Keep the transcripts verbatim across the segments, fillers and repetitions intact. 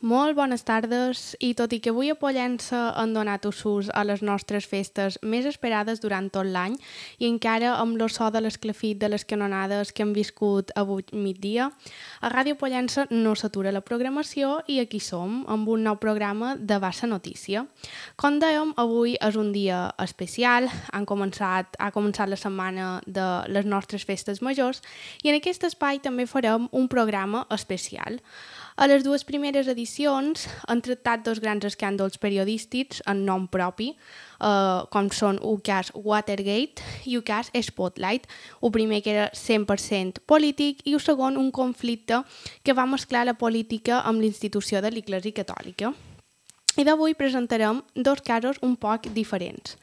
Molt bones tardes, i tot i que avui a Pollença han donat usos a les nostres festes més esperades durant tot l'any i encara amb el so de l'esclafit de les canonades que hem viscut avui migdia, a Ràdio Pollença no s'atura la programació i aquí som, amb un nou programa de Bassa Notícia. Com dèiem, avui és un dia especial, han començat, ha començat la setmana de les nostres festes majors i en aquest espai també farem un programa especial. A les dues primeres edicions han tractat dos grans escàndols periodístics en nom propi, eh, com són el cas Watergate i el cas Spotlight. El primer que era cent per cent polític i el segon un conflicte que va mesclar la política amb l'institució de l'Església Catòlica. I d'avui presentarem dos casos un poc diferents.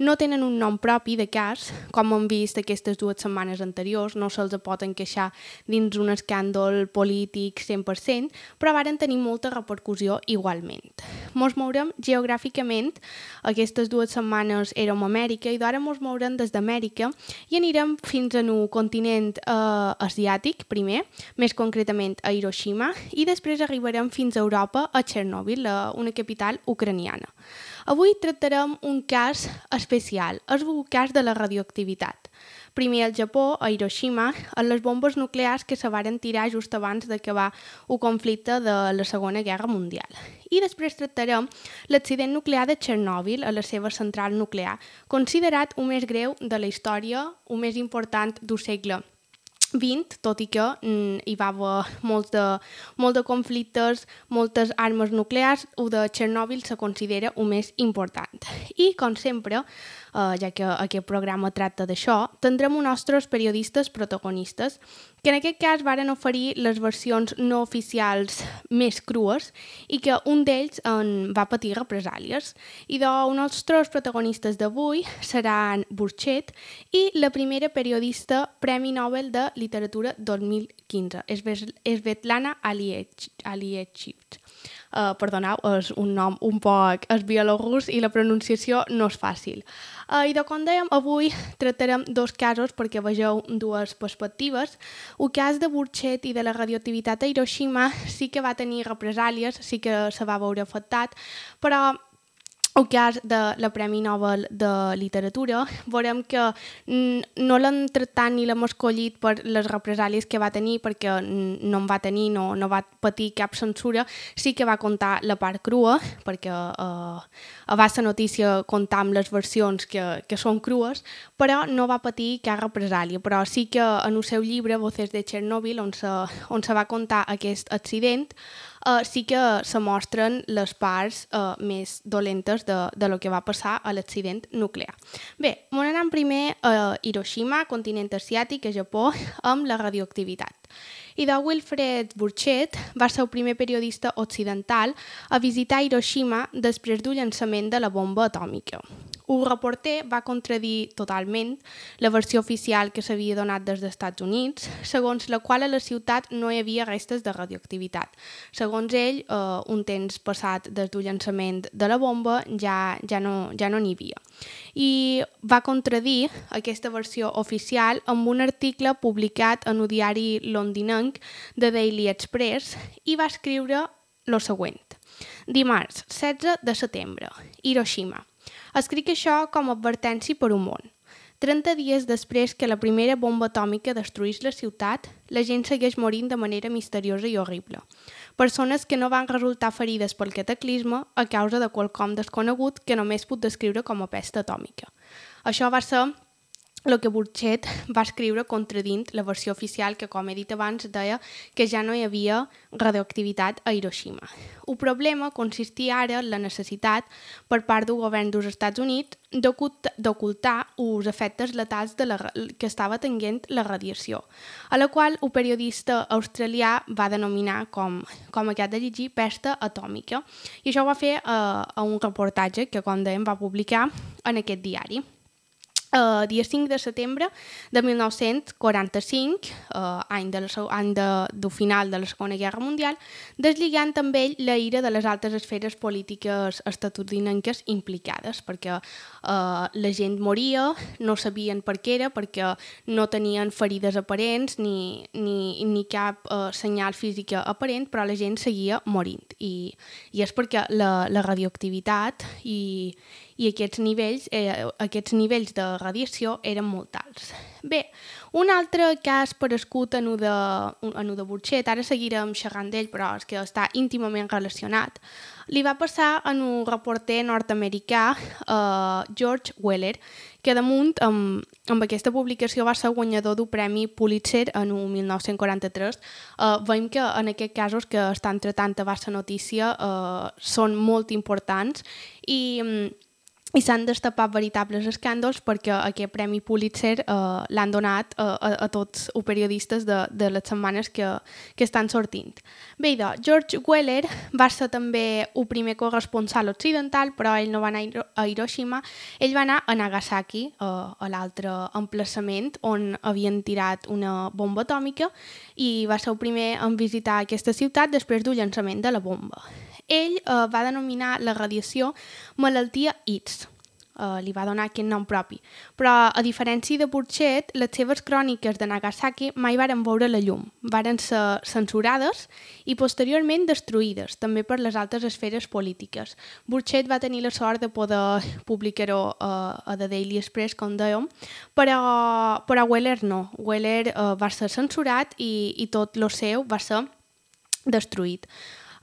No tenen un nom propi de cas, com hem vist aquestes dues setmanes anteriors, no se'ls pot encaixar dins un escàndol polític cent per cent, però varen tenir molta repercussió igualment. Mos mourem geogràficament, aquestes dues setmanes érem a Amèrica i d'ara mos mourem des d'Amèrica i anirem fins a un continent eh, asiàtic, primer, més concretament a Hiroshima, i després arribarem fins a Europa, a Chernobyl, una capital ucraniana. Avui tractarem un cas especial, és el cas de la radioactivitat. Primer al Japó, a Hiroshima, en les bombes nuclears que se varen tirar just abans d'acabar el conflicte de la Segona Guerra Mundial. I després tractarem l'accident nuclear de Chernobyl a la seva central nuclear, considerat el més greu de la història, el més important del segle vint, tot i que mm, hi va haver molts de, molt de conflictes, moltes armes nuclears, el de Chernobyl se considera el més important. I, com sempre, eh, ja que aquest programa tracta d'això, tindrem uns nostres periodistes protagonistes, que en aquest cas varen oferir les versions no oficials més crues i que un d'ells en va patir represàlies. I doncs, els nostres protagonistes d'avui seran Burchett i la primera periodista Premi Nobel de Literatura dos mil quinze, Svetlana Alexievich. Uh, perdoneu, és un nom un poc és bielorrus i la pronunciació no és fàcil. Uh, I de com dèiem, avui tractarem dos casos perquè vegeu dues perspectives. El cas de Burchett i de la radioactivitat a Hiroshima sí que va tenir represàlies, sí que se va veure afectat, però el cas de la Premi Nobel de Literatura, veurem que no l'han tractat ni l'hem escollit per les represàlies que va tenir, perquè no en va tenir, no, no va patir cap censura, sí que va contar la part crua, perquè eh, a Bassa Notícia comptam les versions que, que són crues, però no va patir cap represàlia. Però sí que en el seu llibre, Voces de Chernobyl, on se, on se va contar aquest accident, Uh, sí que se mostren les parts uh, més dolentes de, de lo que va passar a l'accident nuclear. Bé, anem primer a Hiroshima, continent asiàtic, a Japó, amb la radioactivitat. I de Wilfred Burchett va ser el primer periodista occidental a visitar Hiroshima després del llançament de la bomba atòmica. El reporter va contradir totalment la versió oficial que s'havia donat des dels Estats Units, segons la qual a la ciutat no hi havia restes de radioactivitat. Segons ell, eh, un temps passat des del llançament de la bomba ja, ja no ja no n'hi havia. I va contradir aquesta versió oficial amb un article publicat en el diari londinenc The Daily Express i va escriure el següent. Dimarts, setze de setembre, Hiroshima. Escric això com a advertència per un món. trenta dies després que la primera bomba atòmica destruís la ciutat, la gent segueix morint de manera misteriosa i horrible. Persones que no van resultar ferides pel cataclisme a causa de qualcom desconegut que només puc descriure com a pesta atòmica. Això va ser el que Burchett va escriure contradint la versió oficial que, com he dit abans, deia que ja no hi havia radioactivitat a Hiroshima. El problema consistia ara en la necessitat, per part del govern dels Estats Units, d'ocultar els efectes letals de la, que estava tenint la radiació, a la qual el periodista australià va denominar, com, com aquest de llegir, pesta atòmica. I això ho va fer a, a un reportatge que, com dèiem, va publicar en aquest diari. Uh, dia cinc de setembre de mil nou-cents quaranta-cinc, uh, any, de la, any de, del final de la Segona Guerra Mundial, deslligant amb ell la ira de les altes esferes polítiques estatunidenques implicades, perquè uh, la gent moria, no sabien per què era, perquè no tenien ferides aparents ni, ni, ni cap uh, senyal física aparent, però la gent seguia morint. I, i és perquè la, la radioactivitat i, i aquests nivells, eh, aquests nivells de radiació eren molt alts. Bé, un altre cas aparegut en el de, en el de Burchett, ara seguirem xerrant d'ell, però és que està íntimament relacionat, li va passar en un reporter nord-americà, eh, George Weller, que damunt, amb, amb aquesta publicació va ser guanyador d'un premi Pulitzer en el mil nou-cents quaranta-tres. Eh, veiem que en aquests casos que estan tratant a baixa notícia eh, són molt importants i i s'han destapat veritables escàndols perquè aquest Premi Pulitzer eh, l'han donat eh, a, a tots els periodistes de, de les setmanes que, que estan sortint. Bé, doncs, George Weller va ser també el primer corresponsal occidental, però ell no va anar a Hiroshima, ell va anar a Nagasaki, eh, a l'altre emplaçament on havien tirat una bomba atòmica, i va ser el primer en visitar aquesta ciutat després del llançament de la bomba. Ell eh, va denominar la radiació malaltia I T S, eh, li va donar aquest nom propi. Però, a diferència de Burchett, les seves cròniques de Nagasaki mai varen veure la llum, varen ser censurades i posteriorment destruïdes, també per les altes esferes polítiques. Burchett va tenir la sort de poder publicar-ho eh, a The Daily Express, com dèiem, però, però Weller no. Weller eh, va ser censurat i, i tot el seu va ser destruït.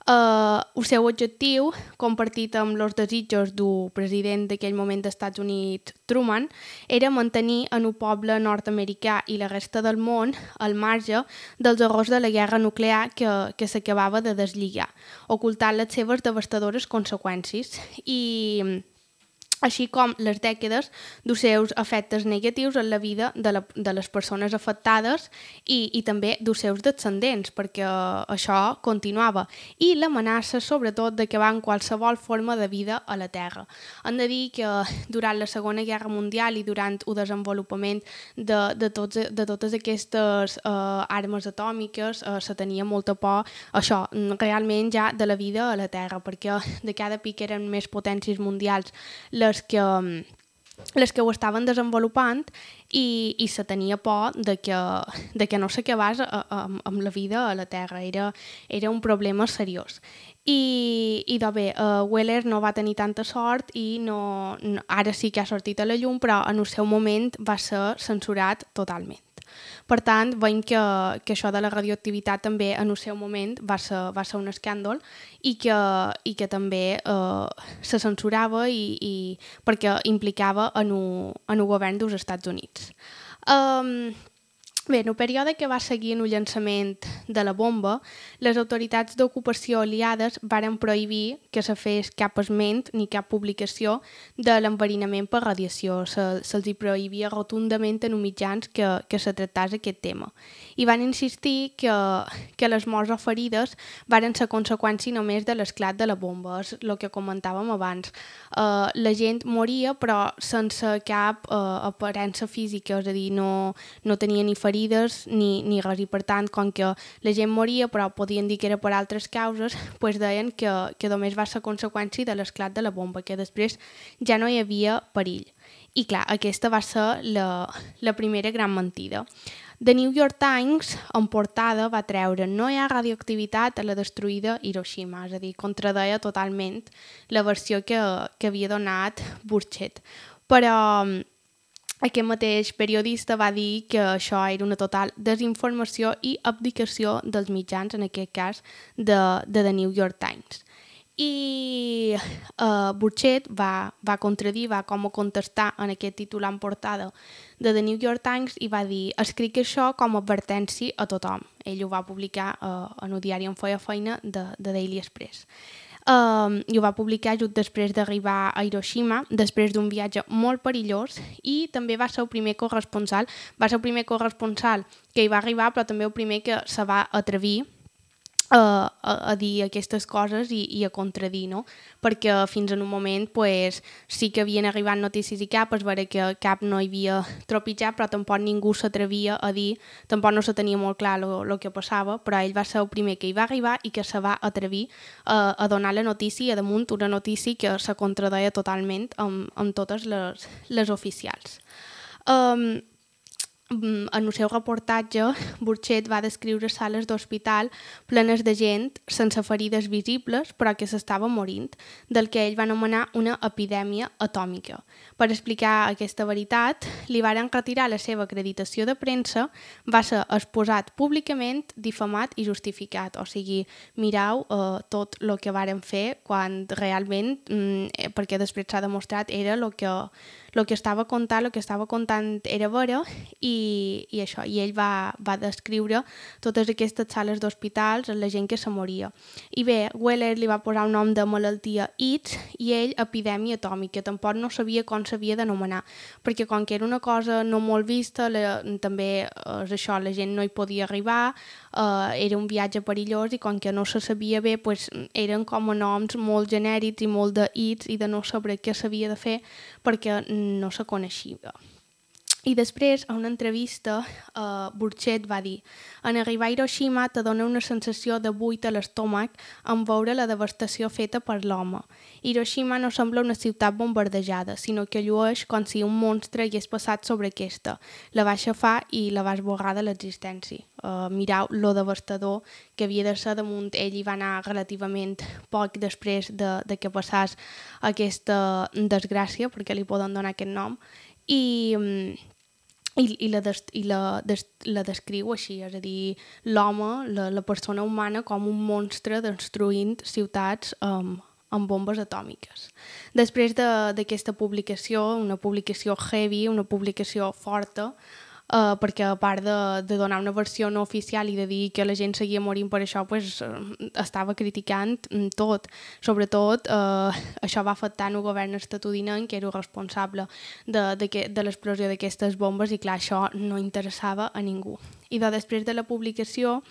Uh, el seu objectiu, compartit amb els desitjos del president d'aquell moment dels Estats Units, Truman, era mantenir en el poble nord-americà i la resta del món al marge dels horrors de la guerra nuclear que, que s'acabava de deslligar, ocultant les seves devastadores conseqüències i així com les dècades dels seus efectes negatius en la vida de, la, de les persones afectades i, i també dels seus descendents, perquè això continuava, i l'amenaça, sobretot, d'acabar amb qualsevol forma de vida a la Terra. Hem de dir que durant la Segona Guerra Mundial i durant el desenvolupament de, de, tots, de totes aquestes eh, armes atòmiques eh, se tenia molta por, això, realment ja de la vida a la Terra, perquè de cada pic eren més potències mundials les que, les que ho estaven desenvolupant i, i se tenia por de que, de que no s'acabés amb, amb la vida a la Terra. Era, era un problema seriós. I, i doncs bé, uh, Weller no va tenir tanta sort i no, no, ara sí que ha sortit a la llum, però en el seu moment va ser censurat totalment. Per tant, veiem que, que això de la radioactivitat també en el seu moment va ser, va ser un escàndol i que, i que també eh, se censurava i, i perquè implicava en el, en el govern dels Estats Units. Um, Bé, en el període que va seguir en el llançament de la bomba, les autoritats d'ocupació aliades varen prohibir que se fes cap esment ni cap publicació de l'enverinament per radiació. Se, se'ls hi prohibia rotundament en els mitjans que, que se tractés aquest tema. I van insistir que, que les morts o ferides varen ser conseqüència només de l'esclat de la bomba. És el que comentàvem abans. Uh, la gent moria però sense cap uh, aparença física, és a dir, no, no tenia ni ferides ni, ni res, i per tant, com que la gent moria però podien dir que era per altres causes, pues deien que, que només va ser conseqüència de l'esclat de la bomba, que després ja no hi havia perill. I clar, aquesta va ser la, la primera gran mentida. The New York Times, en portada, va treure no hi ha radioactivitat a la destruïda Hiroshima, és a dir, contradeia totalment la versió que, que havia donat Burchett. Però aquest mateix periodista va dir que això era una total desinformació i abdicació dels mitjans, en aquest cas de, de The New York Times. I uh, Burchett va, va contradir, va com a contestar en aquest titular en portada de The New York Times i va dir: escric això com a advertència a tothom. Ell ho va publicar uh, en el diari on feia feina de, de Daily Express. Um, i ho va publicar just després d'arribar a Hiroshima, després d'un viatge molt perillós, i també va ser el primer corresponsal, va ser el primer corresponsal que hi va arribar, però també el primer que se va atrevir a, a, a dir aquestes coses i, i a contradir, no? Perquè fins en un moment pues, sí que havien arribat notícies i cap, es veure que cap no hi havia tropitjat, però tampoc ningú s'atrevia a dir, tampoc no se tenia molt clar el que passava, però ell va ser el primer que hi va arribar i que se va atrevir a, a donar la notícia, a damunt una notícia que se contradeia totalment amb, amb totes les, les oficials. Um, en el seu reportatge, Burchett va descriure sales d'hospital plenes de gent sense ferides visibles però que s'estava morint, del que ell va anomenar una epidèmia atòmica. Per explicar aquesta veritat, li varen retirar la seva acreditació de premsa, va ser exposat públicament, difamat i justificat. O sigui, mireu eh, tot el que varen fer quan realment, mm, perquè després s'ha demostrat, era el que, el que estava contant, el que estava contant era vera i I, i això, i ell va, va descriure totes aquestes sales d'hospitals, la gent que se moria. I bé, Weller li va posar un nom de malaltia A I D S i ell epidèmia atòmica, tampoc no sabia com s'havia d'anomenar, perquè com que era una cosa no molt vista, la, també és això, la gent no hi podia arribar, eh, era un viatge perillós i com que no se sabia bé, pues, eren com a noms molt genèrics i molt de I D S i de no saber què s'havia de fer perquè no se coneixia. I després, a una entrevista, uh, Burchett va dir: en arribar a Hiroshima te dona una sensació de buit a l'estómac en veure la devastació feta per l'home. Hiroshima no sembla una ciutat bombardejada, sinó que llueix com si un monstre hagués passat sobre aquesta, la va aixafar i la va esborrar de l'existència. Uh, mireu lo devastador que havia de ser damunt. Ell hi va anar relativament poc després de, de que passés aquesta desgràcia, perquè li poden donar aquest nom, i... Um, I, i, la, des, i la, des, la descriu així, és a dir, l'home, la, la persona humana, com un monstre destruint ciutats um, amb bombes atòmiques. Després d'aquesta de, publicació, una publicació heavy, una publicació forta, Uh, perquè a part de, de donar una versió no oficial i de dir que la gent seguia morint per això, pues, uh, estava criticant tot. Sobretot, uh, això va afectar el govern estatunidenc, que era responsable de, de, que, de l'explosió d'aquestes bombes, i clar, això no interessava a ningú. I de, després de la publicació,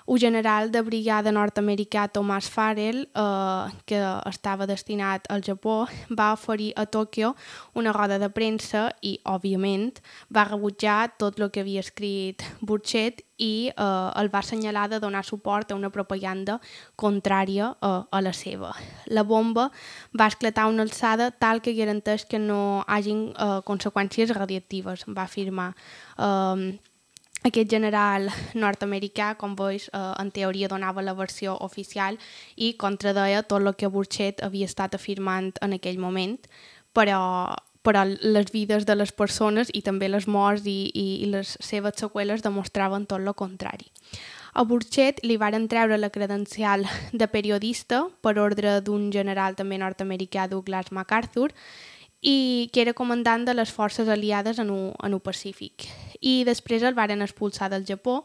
un general de brigada nord-americà, Thomas Farrell, eh, que estava destinat al Japó, va oferir a Tòquio una roda de premsa i, òbviament, va rebutjar tot el que havia escrit Burchett i eh, el va assenyalar de donar suport a una propaganda contrària eh, a la seva. La bomba va esclatar a una alçada tal que garanteix que no hagin eh, conseqüències radiactives, va afirmar. Eh, Aquest general nord-americà, com veus, eh, en teoria donava la versió oficial i contradeia tot el que Burchett havia estat afirmant en aquell moment, però, però les vides de les persones i també les morts i, i, i les seves seqüeles demostraven tot el contrari. A Burchett li varen treure la credencial de periodista per ordre d'un general també nord-americà, Douglas MacArthur, i que era comandant de les forces aliades en el Pacífic. I després el varen expulsar del Japó,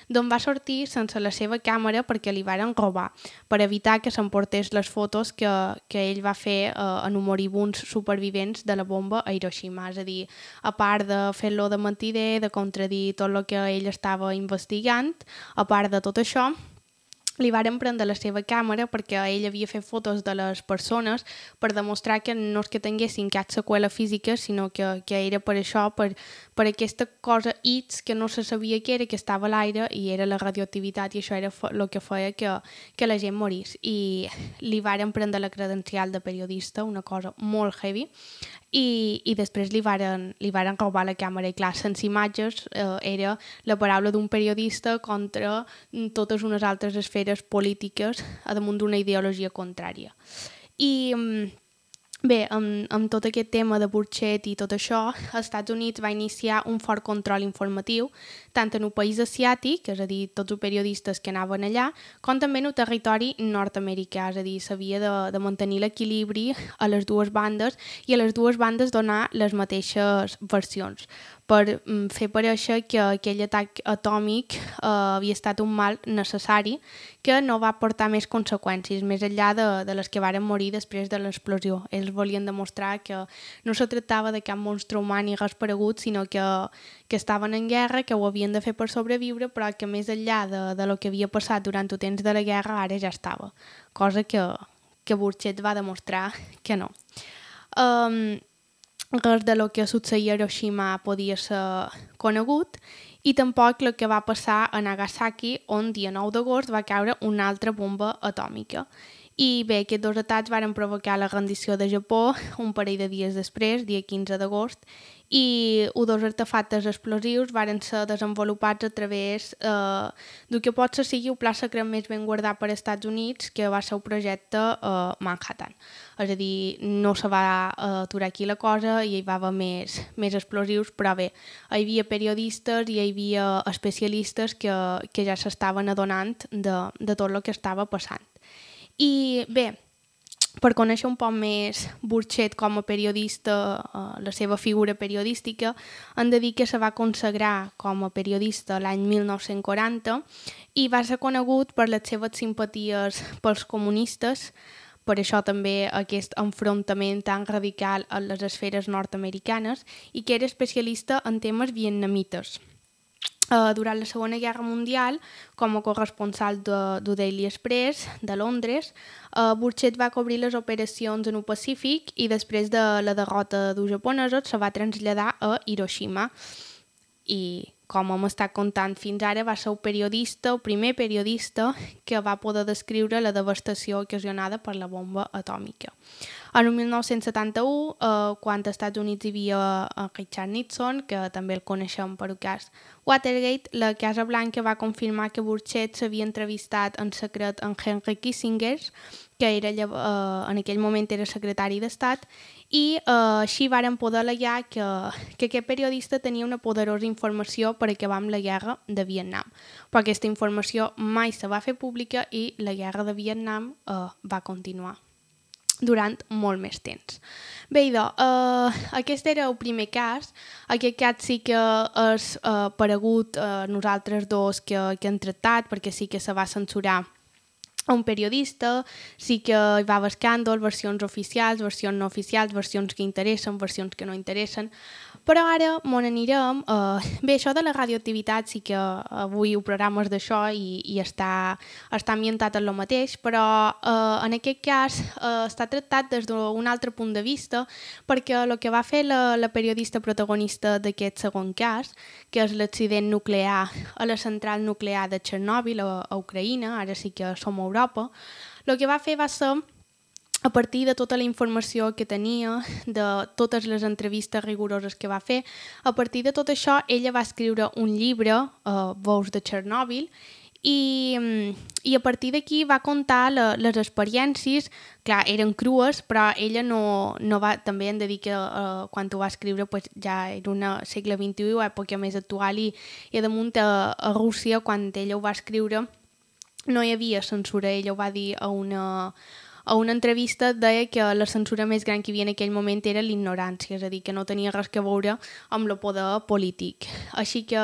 d'on va sortir sense la seva càmera perquè li varen robar, per evitar que s'emportés les fotos que, que ell va fer eh, en moribuns supervivents de la bomba a Hiroshima. És a dir, a part de fer-lo de mentider, de contradir tot el que ell estava investigant, a part de tot això, li varen prendre la seva càmera perquè ell havia fet fotos de les persones per demostrar que no és que tinguessin cap seqüela física, sinó que, que era per això, per, per aquesta cosa X que no se sabia què era, que estava a l'aire i era la radioactivitat, i això era el que feia que, que la gent morís. I li varen prendre la credencial de periodista, una cosa molt heavy, i, i després li varen, li varen robar la càmera. I clar, sense imatges eh, era la paraula d'un periodista contra totes unes altres esferes polítiques a damunt d'una ideologia contrària. I bé, amb, amb tot aquest tema de Burchett i tot això, els Estats Units va iniciar un fort control informatiu, tant en el país asiàtic, és a dir, tots els periodistes que anaven allà, com també en el territori nord-americà, és a dir, s'havia de, de mantenir l'equilibri a les dues bandes i a les dues bandes donar les mateixes versions. per mm, fer parèixer que aquell atac atòmic eh, havia estat un mal necessari que no va portar més conseqüències, més enllà de, de les que varen morir després de l'explosió. Ells volien demostrar que no se tractava de cap monstre humà ni res paregut, sinó que, que estaven en guerra, que ho havien de fer per sobreviure, però que més enllà de, de lo que havia passat durant el temps de la guerra, ara ja estava. Cosa que, que Burchett va demostrar que no. Um, res de lo que succeïa a Hiroshima podia ser conegut i tampoc el que va passar a Nagasaki, on dia nou d'agost va caure una altra bomba atòmica. I bé, aquests dos atacs varen provocar la rendició de Japó un parell de dies després, dia quinze d'agost, i dos artefactes explosius varen ser desenvolupats a través eh, del que pot ser sigui el pla secret més ben guardat per als Estats Units, que va ser el projecte eh, Manhattan. És a dir, no se va eh, aturar aquí la cosa i hi va haver més, més explosius, però bé, hi havia periodistes i hi havia especialistes que, que ja s'estaven adonant de, de tot el que estava passant. I bé, per conèixer un poc més Burchett com a periodista, eh, la seva figura periodística, hem de dir que se va consagrar com a periodista l'any mil nou-cents quaranta i va ser conegut per les seves simpaties pels comunistes, per això també aquest enfrontament tan radical en les esferes nord-americanes, i que era especialista en temes vietnamites. Uh, durant la Segona Guerra Mundial, com a corresponsal de, de Daily Express de Londres, uh, Burchett va cobrir les operacions en el Pacífic i després de la derrota dels japonesos se va traslladar a Hiroshima. I com hem estat contant fins ara, va ser el periodista, el primer periodista que va poder descriure la devastació ocasionada per la bomba atòmica. En el mil nou-cents setanta-u, eh, quan als Estats Units hi havia eh, Richard Nixon, que també el coneixem per el cas Watergate, la Casa Blanca va confirmar que Burchett s'havia entrevistat en secret amb Henry Kissinger, que era, eh, en aquell moment era secretari d'Estat, i eh, així varen poder al·legar que, que aquest periodista tenia una poderosa informació per acabar amb la guerra de Vietnam. Però aquesta informació mai se va fer pública i la guerra de Vietnam eh, va continuar durant molt més temps. Bé, idò, eh, aquest era el primer cas. Aquest cas sí que és eh, paregut a nosaltres dos que, que hem tractat, perquè sí que se va censurar a un periodista, sí que hi va haver escàndol, versions oficials, versions no oficials, versions que interessen, versions que no interessen, però ara m'on anirem. Uh, bé, això de la radioactivitat sí que avui el programa és d'això i, i està, està ambientat en el mateix, però uh, en aquest cas uh, està tractat des d'un altre punt de vista, perquè el que va fer la, la periodista protagonista d'aquest segon cas, que és l'accident nuclear a la central nuclear de Chernobyl a, a Ucraïna, ara sí que som a Europa, el que va fer va ser, a partir de tota la informació que tenia, de totes les entrevistes rigoroses que va fer, a partir de tot això, ella va escriure un llibre, uh, Veus de Chernobyl, i, i a partir d'aquí va contar la, les experiències. Clar, eren crues, però ella no, no va, també hem de dir que uh, quan ho va escriure pues, ja era una segle vint-i-u, època més actual, i, i damunt a, a Rússia, quan ella ho va escriure, no hi havia censura. Ella ho va dir a una, a una entrevista, deia que la censura més gran que hi havia en aquell moment era l'ignorància, és a dir, que no tenia res a veure amb el poder polític. Així que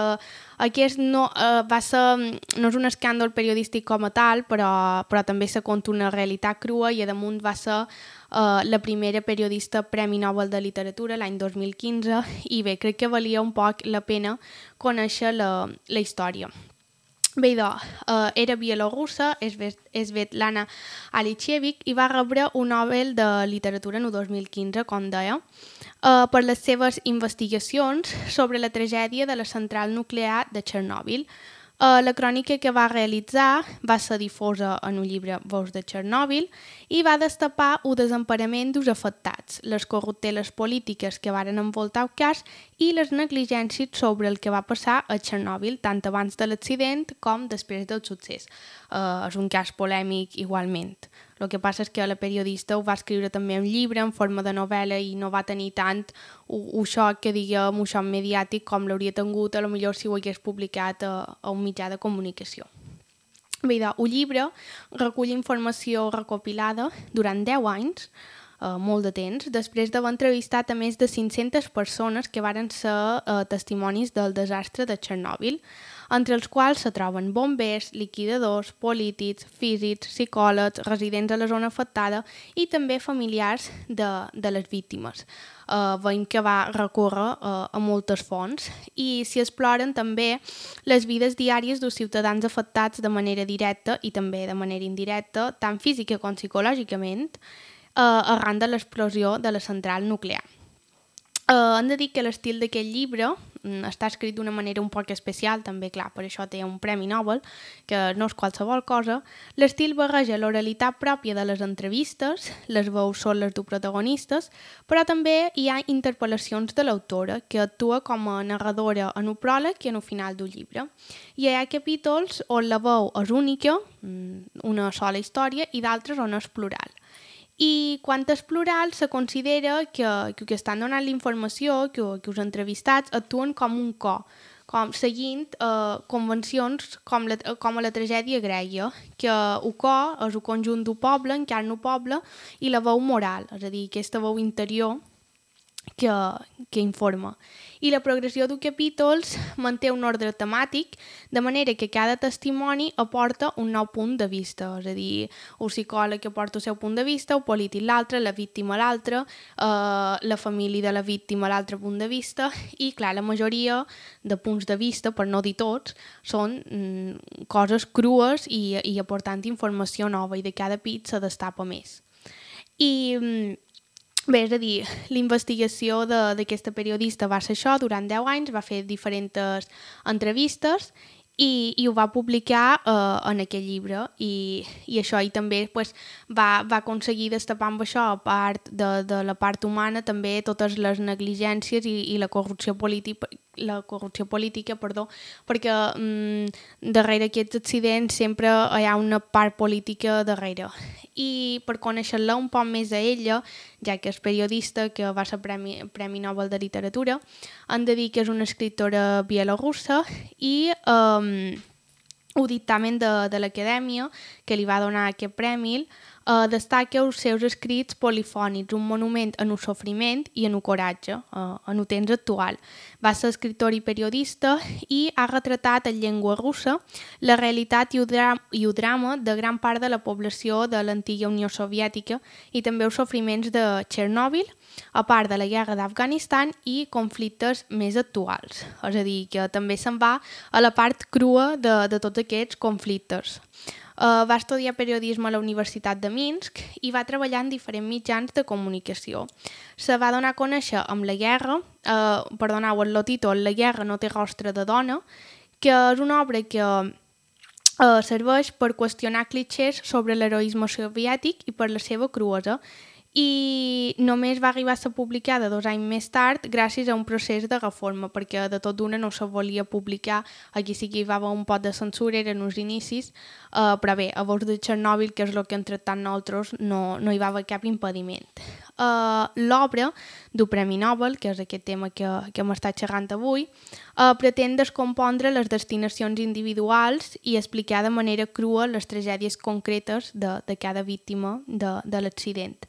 aquest no, eh, va ser, no és un escàndol periodístic com a tal, però, però també se conta una realitat crua, i a damunt va ser eh, la primera periodista Premi Nobel de Literatura l'any dos mil quinze, i bé, crec que valia un poc la pena conèixer la, la història. Bé, idò, uh, era bielorrussa, és Svetlana Alexievich, i va rebre un Nobel de Literatura en el dos mil quinze, com deia, uh, per les seves investigacions sobre la tragèdia de la central nuclear de Chernobyl. Uh, la crònica que va realitzar va ser difosa en un llibre Veus de Chernobyl i va destapar el desemparament dels afectats, les corrupteles polítiques que varen envoltar el cas i les negligències sobre el que va passar a Chernobyl, tant abans de l'accident com després del succés. Uh, és un cas polèmic igualment. El que passa és que la periodista ho va escriure també un llibre en forma de novel·la i no va tenir tant un xoc, que diguem, un xoc mediàtic com l'hauria tingut a lo millor si ho hagués publicat a, a un mitjà de comunicació. Bé, el llibre recull informació recopilada durant deu anys uh, molt de temps, després d'haver entrevistat a més de cinc-centes persones que varen ser uh, testimonis del desastre de Chernobyl, entre els quals se troben bombers, liquidadors, polítics, físics, psicòlegs, residents a la zona afectada i també familiars de, de les víctimes. Uh, veiem que va recórrer uh, a moltes fonts i s'hi exploren també les vides diàries dels ciutadans afectats de manera directa i també de manera indirecta, tant física com psicològicament, uh, arran de l'explosió de la central nuclear. Uh, hem de dir que l'estil d'aquest llibre um, està escrit d'una manera un poc especial, també, clar, per això té un Premi Nobel, que no és qualsevol cosa. L'estil barreja l'oralitat pròpia de les entrevistes, les veus són les dels protagonistes, però també hi ha interpel·lacions de l'autora, que actua com a narradora en un pròleg i en un final del llibre. I hi ha capítols on la veu és única, una sola història, i d'altres on és plural. I quan és plural, se considera que, que, que estan donant la informació, que, que els entrevistats actuen com un cor, com seguint eh, convencions com, la, com a la tragèdia grega, que el cor és el conjunt del poble, encarna el poble, i la veu moral, és a dir, aquesta veu interior que, que informa. I la progressió dels capítols manté un ordre temàtic, de manera que cada testimoni aporta un nou punt de vista, és a dir, el psicòleg aporta el seu punt de vista, el polític l'altre, la víctima l'altre, eh, la família de la víctima l'altre punt de vista, i clar, la majoria de punts de vista, per no dir tots, són mm, coses crues i, i aportant informació nova, i de cada pit se destapa més. I... Mm, Bé, és a dir, la investigació d'aquesta periodista va ser això, durant deu anys, va fer diferents entrevistes i, i ho va publicar eh, en aquest llibre i, i això, i també pues, va, va aconseguir destapar amb això, a part de, de la part humana, també totes les negligències i, i la corrupció política, la corrupció política, perdó, perquè mm, darrere aquests accidents sempre hi ha una part política darrere. I per conèixer-la un poc més a ella, ja que és periodista, que va ser Premi, Premi Nobel de Literatura, hem de dir que és una escriptora bielorrussa i um, el dictamen de, de l'acadèmia que li va donar aquest premi Uh, destaca els seus escrits polifònics, un monument en el sofriment i en el coratge, uh, en el temps actual. Va ser escriptor i periodista i ha retratat en llengua russa la realitat i el, dra i el drama de gran part de la població de l'antiga Unió Soviètica i també els sofriments de Chernobyl, a part de la guerra d'Afganistan i conflictes més actuals. És a dir, que també se'n va a la part crua de, de tots aquests conflictes. Uh, va estudiar periodisme a la Universitat de Minsk i va treballar en diferents mitjans de comunicació. Se va donar a conèixer amb La guerra, uh, perdoneu, el títol La guerra no té rostre de dona, que és una obra que uh, serveix per qüestionar clichés sobre l'heroisme soviètic i per la seva cruesa, i només va arribar a ser publicada dos anys més tard gràcies a un procés de reforma, perquè de tot d'una no se volia publicar, aquí sí que hi va haver un pot de censura, eren uns inicis, uh, però bé, a vos de Chernobyl, que és el que hem tractat nosaltres, no, no hi va haver cap impediment. Uh, L'obra del Premi Nobel, que és aquest tema que, que hem estat xerrant avui, uh, pretén descompondre les destinacions individuals i explicar de manera crua les tragèdies concretes de, de cada víctima de, de l'accident.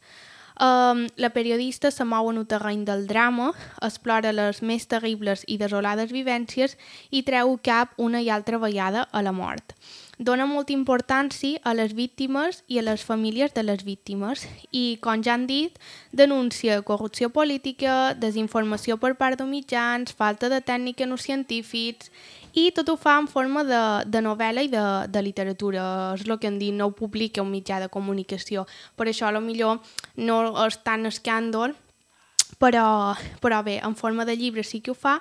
Um, la periodista se mou en el terreny del drama, explora les més terribles i desolades vivències i treu cap una i altra vegada a la mort. Dona molta importància a les víctimes i a les famílies de les víctimes i, com ja han dit, denuncia corrupció política, desinformació per part de mitjans, falta de tècnica en els científics i tot ho fa en forma de, de novel·la i de, de literatura. És el que hem dit, no ho publica un mitjà de comunicació. Per això, potser no és tan escàndol, però, però bé, en forma de llibre sí que ho fa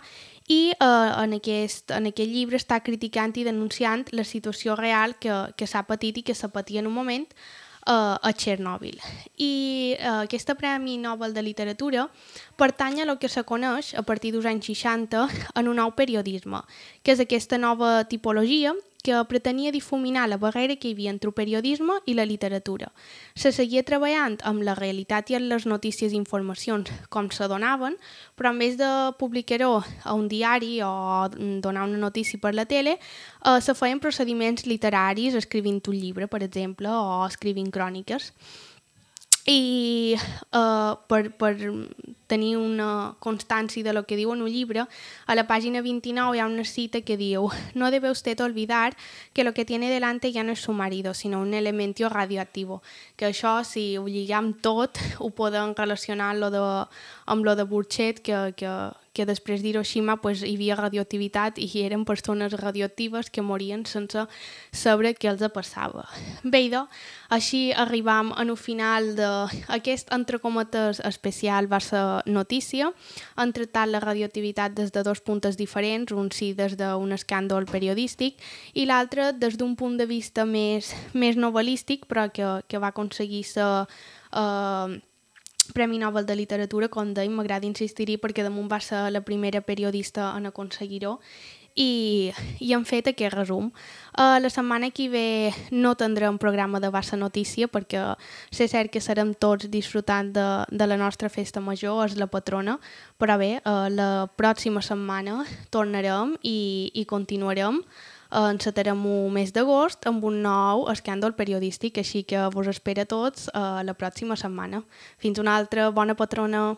i eh, en, aquest, en aquest llibre està criticant i denunciant la situació real que, que s'ha patit i que s'ha patit en un moment eh, a Chernobyl. I eh, aquesta Premi Nobel de Literatura pertany a el que se coneix a partir dels anys seixanta en un nou periodisme, que és aquesta nova tipologia que pretenia difuminar la barrera que hi havia entre el periodisme i la literatura. Se seguia treballant amb la realitat i amb les notícies i informacions com se donaven, però en vez de publicar-ho a un diari o donar una notícia per la tele, eh, se feien procediments literaris escrivint un llibre, per exemple, o escrivint cròniques. i uh, per, per tenir una constància de lo que diu en un llibre, a la pàgina vint-i-nou hi ha una cita que diu: «No debe usted olvidar que lo que tiene delante ya no es su marido, sino un elemento radioactivo». Que això, si ho lligam tot, ho podem relacionar amb lo de, amb lo de Burchett, que, que, que després d'Hiroshima pues, hi havia radioactivitat i eren persones radioactives que morien sense saber què els passava. Bé, idò, així arribam al final d'aquest, entre cometes, especial Barça Notícia. Han tractat la radioactivitat des de dos punts diferents, un sí des d'un escàndol periodístic i l'altre des d'un punt de vista més, més novel·lístic, però que, que va aconseguir ser eh, Premi Nobel de Literatura, com deim, m'agrada insistir-hi perquè damunt va ser la primera periodista en aconseguir-ho. I, i hem fet aquest resum. Uh, la setmana que ve no tindrem programa de Barça Notícia perquè sé cert que serem tots disfrutant de, de la nostra festa major, és la patrona, però bé, uh, la pròxima setmana tornarem i, i continuarem. Uh, encetarem un mes d'agost amb un nou escàndol periodístic, així que vos espera a tots uh, la pròxima setmana. Fins una altra, bona patrona!